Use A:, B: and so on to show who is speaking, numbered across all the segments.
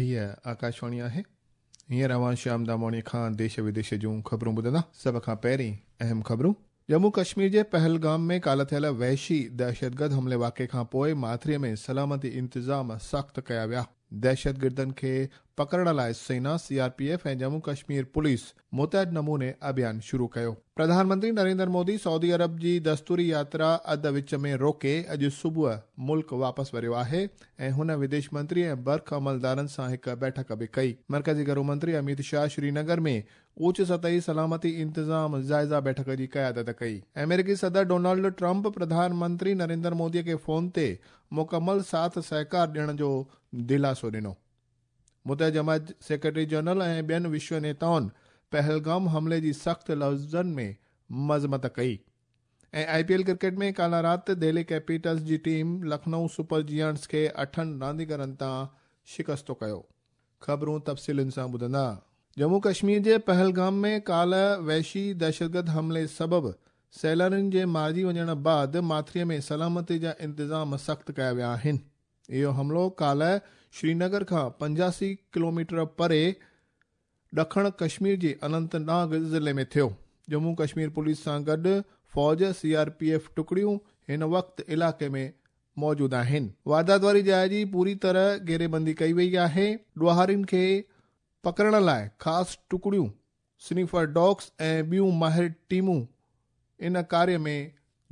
A: هيء آڪاشواڻي آهي. هينئر اوهان شيام داماڻي کان ديش وديش جون خبرون ٻڌندا. سڀ کان پهرين اهم خبرون. ڄمون ڪشمير جي پهلگام ۾ ڪالهه ٿيل وحشي دهشتگرد حملي واقعي کان پوء ماٿريء ۾ سلامتي انتظام سخت ڪيا ويا. دهشتگردن کي پڪڙڻ لاء سينا، C R P F ۽ Jammu Kashmir police متحد نموني اڀيان شروع ڪيو. پرڌان منتري نريندر مودي سعودي عرب جي دستوري ياترا اڌ وچ ۾ روڪي اڄ صبح ملڪ واپس وريو آهي ۽ هن وديش منتري ۽ برک عملدارن سان هڪ بيٺڪ به ڪئي. مرڪزي گهرو منتري اميت شاهه شرينگر ۾ اوچ سطحي سلامتي انتظام جائزه بيٺڪ جي قيادت ڪئي. آمريڪي صدر ڊونلڊ ٽرمپ پرڌان منتري نريندر مودي کي فون تي مڪمل ساٿ سهڪار ڏيڻ جو دلاسو ڏنو. متحده جماعت سيڪريٽري جنرل ۽ ٻين وشو نيتائن پهلگام حملي جي سخت لفظن ۾ مذمت ڪئي ۽ آء پي ايل ڪرڪيٽ ۾ ڪالهه رات دهلي ڪيپيٽلز جي ٽيم لکنئو سپر جيانٽس کي اٺن رانديگرن تان شڪستو ڪيو. خبرون تفصيلن سان ٻڌندا. ڄمون ڪشمير جي پهلگام ۾ ڪالهه وحشي دهشتگرد حملي سبب سيلانين جي مارجي وڃڻ بعد ماٿريء ۾ سلامتي جا انتظام سخت ڪيا ويا آهن. اهو حملو ڪالهه شرينگر کان 85 ڪلوميٽر پري ڏکڻ ڪشمير جي اننت ناگ ضلعي ۾ ٿيو. ڄمون ڪشمير پوليس سان گڏ فوج، سي آر پي ايف ٽڪڙيون هن وقت علائقي ۾ موجود آهن. واردات واري جاء جي پوري طرح گهيريبندي ڪئي وئي آهي. ڏوهارين کي پڪڙڻ لاء خاص ٽڪڙيون سنيفر ڊاگس ۽ ٻيون ماهر ٽيمون ان ڪاريه ۾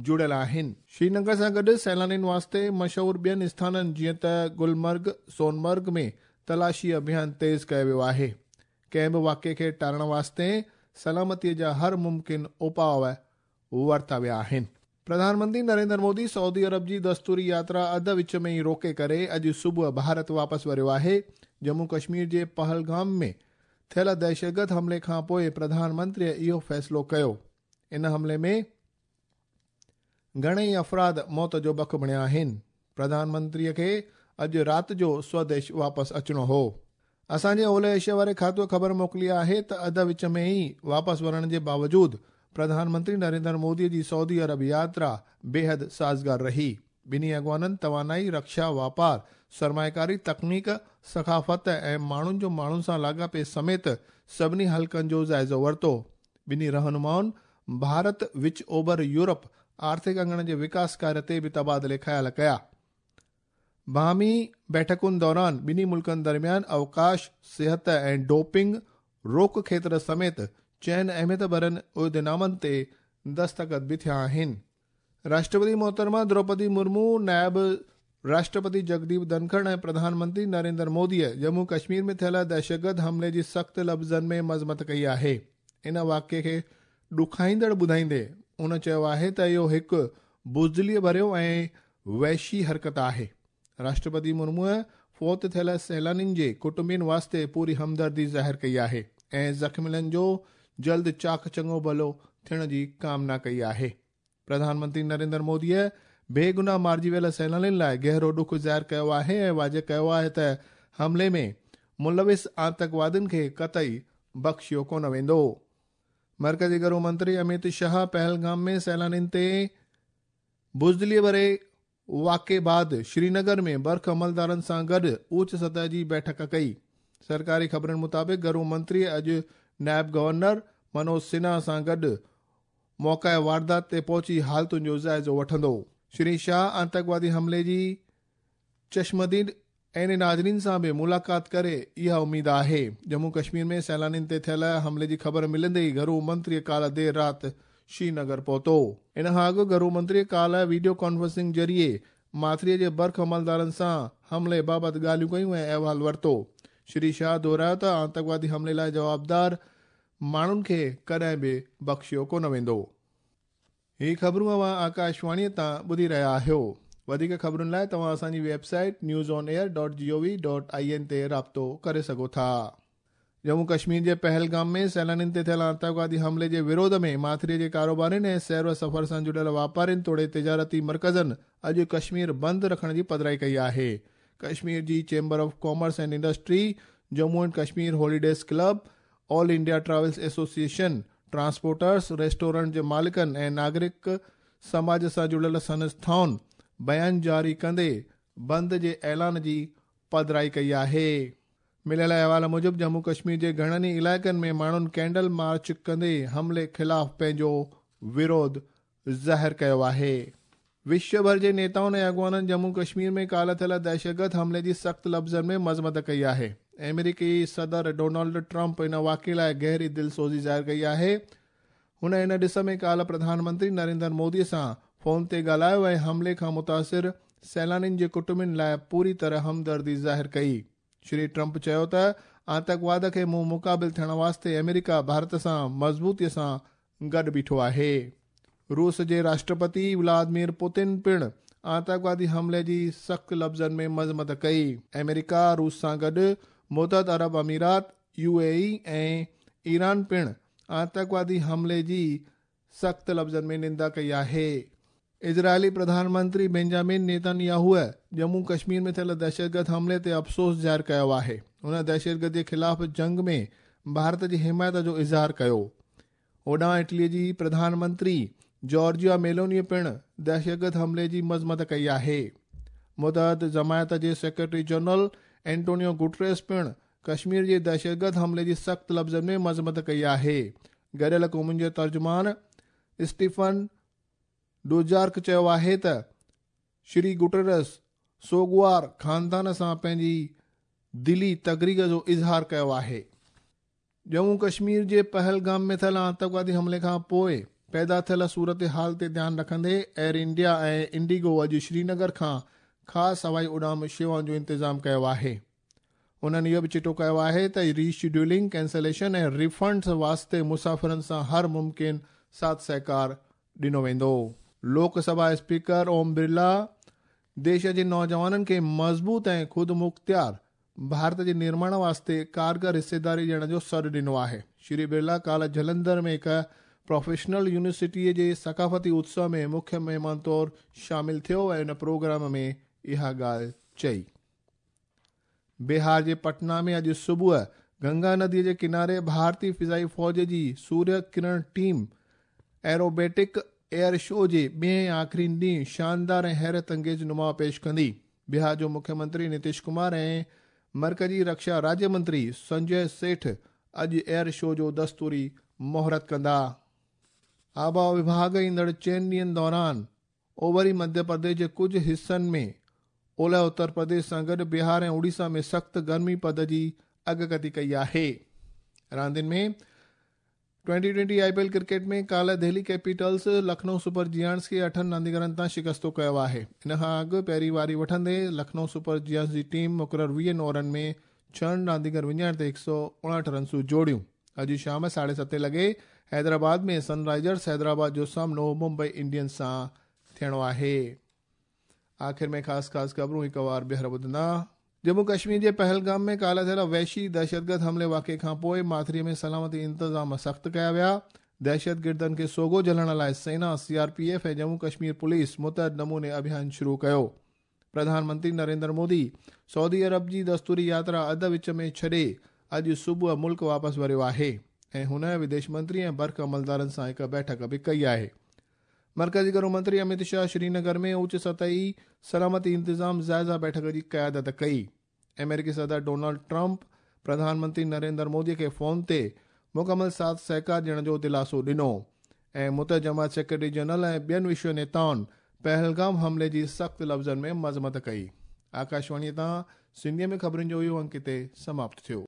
A: جڙيل آهن. شرينگر سان گڏ سيلانين واسطي مشهور ٻين اسٿانن جيئن ته گلمرگ، سونمرگ ۾ تلاشي اڀيان تيز ڪيو ويو آهي. ڪنهن به واقعي کي ٽارڻ واسطي سلامتي جا هر ممڪن اپاء ورتا ويا آهن. پرڌان منتري نريندر مودي سعودي عرب جي دستوري ياترا اڌ وچ ۾ ئي روڪي ڪري اڄ صبح ڀارت واپس وريو آهي. ڄمون ڪشمير جي پهلگام ۾ ٿيل دهشتگرد حملي کان پوء پرڌان منتريء اهو فيصلو ڪيو. ان حملي ۾ گهڻيئي افراد موت جو بک بڻيا آهن. پرڌان منتريء کي اڄ رات جو سوديش واپس اچڻو هو. اسان جي اولهه ايشيا واري کاتوء خبر موڪلي آهي ته اڌ وچ ۾ ئي واپس ورڻ جي باوجود پرڌان منتري نريندر مودي جي سعودي عرب ياترا بيحد سازگار رهي. ٻنهي اڳواڻن توانائي، رڪشا، واپار، سرمائيڪاري، تڪنيڪ، ثقافت ۽ ماڻهن جو ماڻهن سان لاڳاپي سميت سڀني حلقن جو جائزو ورتو. ٻنهي رهنمائن ڀارت وچ اوڀر يورپ آرٿڪ اڱڻ جي وڪاس ڪاريه تي به تبادلي خيال ڪيا. باهمي بيٺڪن دوران ٻنهي ملڪن درميان اوقاش، صحت ۽ ڊوپنگ روڪ کيتر سميت چئن اهميت ڀرين عهدنامن تي دستخط به ٿيا آهن. راشٽرپتي محترمه دروپدي مرمو، نائب راشٽرپتي جگديپ ڌنکڙ ۽ پرڌان منتري نريندر موديء ڄمون ڪشمير ۾ ٿيل دهشتگرد حملي جي سخت لفظن ۾ مذمت ڪئي آهي. ان واقعي کي ڏکائيندڙ ٻڌائيندي هن چيو آهي ته اهو هڪ بزدليء ڀريو ۽ وحشي حرڪت آهي. راشٽرپتي مرموء فوت ٿيل سيلانين جي ڪٽنبن واسطي پوري همدردي ظاهر ڪئي آهي ۽ زخميلن جو جلد چاق چڱو ڀلو ٿيڻ جي ڪامنا ڪئي آهي. پرڌان منتري نريندر موديء بيگناهه مارجي ويل سيلانين لاء گهرو ڏک ظاهر ڪيو آهي ۽ واضح ڪيو آهي ته حملي ۾ ملوث آتنڪوادين کي قطعي بخشيو ڪونه ويندو. مرڪزي گهرو منتري اميت شاهه پهلگام ۾ سيلانين تي بزدليء ڀري واقعي بعد شرينگر ۾ برک عملدارن سان گڏ اوچ سطح جي بيٺڪ ڪئي. سرڪاري خبرن مطابق گهرو منتري اڄ نائب گورنر منوج سنها سان گڏ موقع واردات تي پهچي حالتن جو جائزو وٺندو. شري شاهه آتنڪوادي حملي جي چشمديد عيني ناظرين سان به ملاقات ڪري اها اميد آهي. ڄمون ڪشمير ۾ سيلانين تي ٿيل حملي جي خبر ملندي ئي گهرو منتري ڪالهه دير رات شرينگر پهتو. ان کان اڳ گهرو منتري ڪالهه ويڊيو ڪانفرنسنگ ذريعي ماٿريء جي برک عملدارن سان حملي بابت ڳالهيون ڪيون ۽ احوال ورتو. شري شاهه دهرايو ته آتنڪوادي حملي لاء جوابدار ماڻهن کي ڪڏهن به بخشيو ڪونه ويندو. هي خبرون اوهان آڪاشواڻيء تان ٻڌي رهيا آهيو. وڌيڪ خبرن لاء توهان اسان جي website news on air dot G O V dot I N تي رابطو ڪري سگهو ٿا. ڄمون ڪشمير جي پهلگام ۾ سيلانين تي ٿيل آتنڪوادي حملي جي وروڌ ۾ ماٿريء جي ڪاروبارين ۽ سير و سفر سان جڙيل واپارين توڙي تجارتي مرڪزن اڄ ڪشمير بند رکڻ جي پڌرائي ڪئي آهي. ڪشمير جي chamber of commerce and industry, Jammu and Kashmir holidays club, all India travels association, transporters, restaurant جي مالڪن ۽ ناگرڪ سماج سان جڙيل سنسٿائن بيان جاري ڪندي بند جي اعلان جي پڌرائي ڪئي آهي. مليل احوال موجب ڄمون ڪشمير جي گهڻن ئي علائقن ۾ ماڻهن ڪينڊل مارچ ڪندي حملي خلاف پنهنجو وروڌ ظاهر ڪيو آهي. وشو ڀر جي نيتائن ۽ اڳواڻن ڄمون ڪشمير ۾ ڪالهه ٿيل دهشتگرد حملي جي سخت لفظن ۾ مذمت ڪئي آهي. آمريڪي صدر ڊونلڊ ٽرمپ ان واقعي لاءِ گهري دلسوزي ظاهر ڪئي آهي. هن ان ڏس ۾ ڪالهه پرڌان منتري نريندر مودي سان فون تي ڳالهايو ۽ حملي کان متاثر سيلانين جي ڪٽنبن لاءِ پوري طرح همدردي ظاهر ڪئي. شري ٽرمپ چيو ته آتنڪواد کي منهن مقابل ٿيڻ واسطي آمريڪا ڀارت سان مضبوطي سان گڏ بيٺو آهي. روس جي راشٽرپتي ولاديمير پوتن پڻ آتنڪوادي حملي جي سخت لفظن ۾ مذمت ڪئي. آمريڪا روس سان گڏ متحده عرب امارات، يو اي اي ۽ ايران پڻ آتنڪوادي حملي جي سخت لفظن ۾ نندا ڪئي آهي. اسرائيلي پرڌان منتري بينجامن نيتنياهوءَ ڄمون ڪشمير ۾ ٿيل دهشتگرد حملي تي افسوس ظاهر ڪيو آهي. هن دهشتگردي خلاف جنگ ۾ ڀارت جي حمايت جو اظهار ڪيو. هوڏانهن اٽلي جي پرڌان منتري جارجيا ميلوني پڻ دهشتگرد حملي جي مذمت ڪئي آهي. متحده جماعت جي سيڪريٽري جنرل اينٽونيو گوٽريس پڻ ڪشمير جي دهشتگرد حملي جي سخت لفظن ۾ مذمت ڪئي آهي. گڏيل قومن جي ترجمان اسٽيفن ڊوجارڪ چيو آهي ته شري گوٽريس سوڳوار خاندان سان پنهنجي دلي تڪريگ جو اظهار ڪيو آهي. ڄمون ڪشمير جي پهلگام ۾ ٿيل آتنڪوادي حملي کان پوءِ پيدا ٿيل صورتحال تي ڌيان رکندي ايئر انڊيا ۽ انڊيگو اڄ شرينگر کان خاص هوائي اڏام شيوائن جو انتظام ڪيو آهي. انهن اهو به چٽو ڪيو آهي ته ري شيڊيولنگ، ڪينسليشن ۽ ريفنڊز واسطي مسافرن سان هر ممڪن ساٿ سهڪار ڏنو ويندو. لوڪ سڀا اسپيڪر اوم برلا ديش جي نوجوانن کي مضبوط ۽ خودمختيار ڀارت جي نرماڻ واسطي ڪارگر حصيداري ڏيڻ جو سڏ ڏنو آهي. شري برلا ڪالهه جلنڌر ۾ هڪ پروفيشنل يونيورسٽيءَ جي ثقافتي اتسو ۾ مکيه مهمان طور شامل ٿيو ۽ ان پروگرام ۾ اها ڳالهه چئي. بهار جي پٽنا ۾ اڄ صبح گنگا نديءَ جي ڪناري ڀارتي فضائي فوج جي سوريه ڪرڻ ٽيم ايروبيٽڪ ايئر شو جي ٻئي ۽ آخري ڏينهن شاندار ۽ حيرت انگيز نماءُ پيش ڪندي. بهار جو مکيه منتري نتيش ڪمار ۽ مرڪزي رڪشا راجيه منتري سنجي سيٺ اڄ ايئر شو جو دستوري مهورت ڪندا. آبهوا وڀاڳ ايندڙ 4 ڏينهن دوران اوڀري مڌيه پرديش جي ڪجهه حصن ۾ اولهه اتر پرديش سان گڏ بهار ۽ اوڙيسا ۾ سخت گرمي پد جي اڳڪٿي ڪئي آهي. راندين ۾ 20-20 آئي پي ايل ڪرڪيٽ ۾ ڪالهه دهلي ڪيپيٽلز لکنؤ سپر جيانٽس کي 8 رانديگرن تان شڪستو ڪيو آهي. ان کان اڳ پهرين واري وٺندي لکنؤ سپر جيانٽس جي ٽيم مقرر 20 اوورن ۾ 6 رانديگر وڃائڻ تي 159 رنسون جوڙيون. اڄ شام 7:30 لڳي حيدرآباد ۾ سن رائزرس حيدرآباد جو سامنو ممبئي انڊينز سان ٿيڻو آهي. آخر ۾ خاص خاص خبرون هڪ وار ٻيهر ٻڌندا. ڄمون ڪشمير جي پهلگام ۾ ڪالهه ٿيل وحشي دهشتگرد حملي واقعي کان پوءِ ماٿريءَ ۾ سلامتي انتظام سخت ڪيا ويا. دهشتگردن کي سوگهو جهلڻ لاءِ سينا، C R P F ۽ Jammu Kashmir police متحد نموني اڀيان شروع ڪيو. پرڌان منتري نريندر مودي سعودي عرب جي دستوري ياترا اڌ وچ ۾ ڇڏي اڄ صبح ملڪ واپس وريو آهي ۽ هن وديش منتري ۽ برک عملدارن سان هڪ بيٺڪ به ڪئي آهي. مرڪزي گهرو منتري امت شاهه شرينگر ۾ اوچ سطحي سلامتي انتظام جائزه بيٺڪ جي قيادت ڪئي. آمريڪي صدر ڊونلڊ ٽرمپ پرڌان منتري نريندر مودي کي فون تي مڪمل ساٿ سهڪار ڏيڻ جو دلاسو ڏنو ۽ متحده جماعت سيڪريٽري جنرل ۽ ٻين وشو نيتائن پهلگام حملي جي سخت لفظن ۾ مذمت ڪئي. آڪاشواڻيءَ تان سنڌيءَ ۾ خبرن جو اهو انڪ هتي سماپت ٿيو.